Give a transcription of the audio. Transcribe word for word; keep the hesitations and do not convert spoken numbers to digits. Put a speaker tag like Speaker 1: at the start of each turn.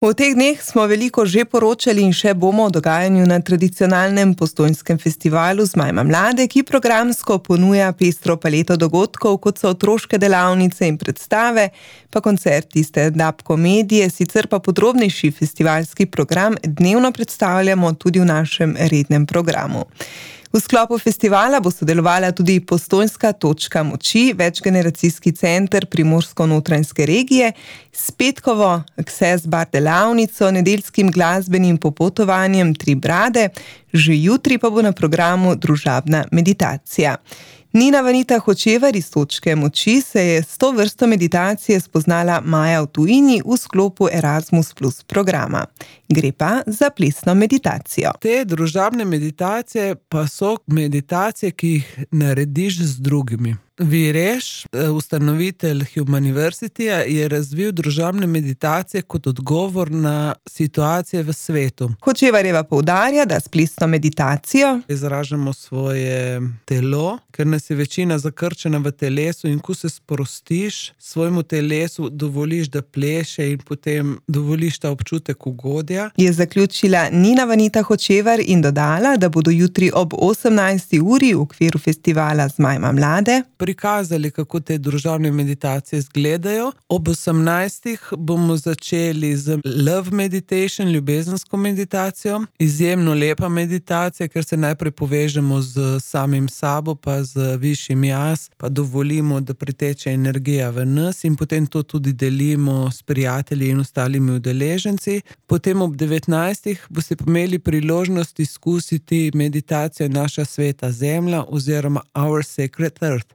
Speaker 1: V teh dneh smo veliko že poročali in še bomo o dogajanju na tradicionalnem Postojnskem festivalu Zmajma mlade, ki programsko ponuja pestro paleto dogodkov, kot so otroške delavnice in predstave, pa koncerti, stand-up komedije, sicer pa podrobnejši festivalski program dnevno predstavljamo tudi v našem rednem programu. V sklopu festivala bo sodelovala tudi Postojnska točka moči, večgeneracijski center Primorsko-notranjske regije, s petkovo Access bar delavnico, nedeljskim glasbenim popotovanjem Tri brade, že jutri pa bo na programu družabna meditacija. Nina Vanita Hočevar iz Točke moči se je s to vrsto meditacije spoznala maja v tujini v sklopu Erasmus plus programa. Gre pa za plesno meditacijo.
Speaker 2: Te družabne meditacije pa so meditacije, ki jih narediš z drugimi. Vireš, ustanovitelj Humaniversityja, je razvil družabne meditacije kot odgovor na situacije v svetu.
Speaker 1: Hočevarjeva poudarja, da s plesno meditacijo
Speaker 2: izražamo svoje telo, ker nas je večina zakrčena v telesu, in ko se sprostiš, svojemu telesu dovoliš, da pleše, in potem dovoliš ta občutek ugodja.
Speaker 1: Je zaključila Nina Vanita Hočevar in dodala, da bodo jutri ob osemnajsti uri v okviru festivala Zmajma mlade
Speaker 2: prikazali, kako te družabne meditacije izgledajo. Ob osemnajstih bomo začeli z love meditation, ljubezensko meditacijo. Izjemno lepa meditacija, ker se najprej povežemo z samim sabo, pa z višjim jaz, pa dovolimo, da priteče energija v nas, in potem to tudi delimo s prijatelji in ostalimi udeleženci. Potem ob devetnajstih boste imeli priložnost izkusiti meditacijo Naša sveta zemlja oziroma Our Sacred Earth.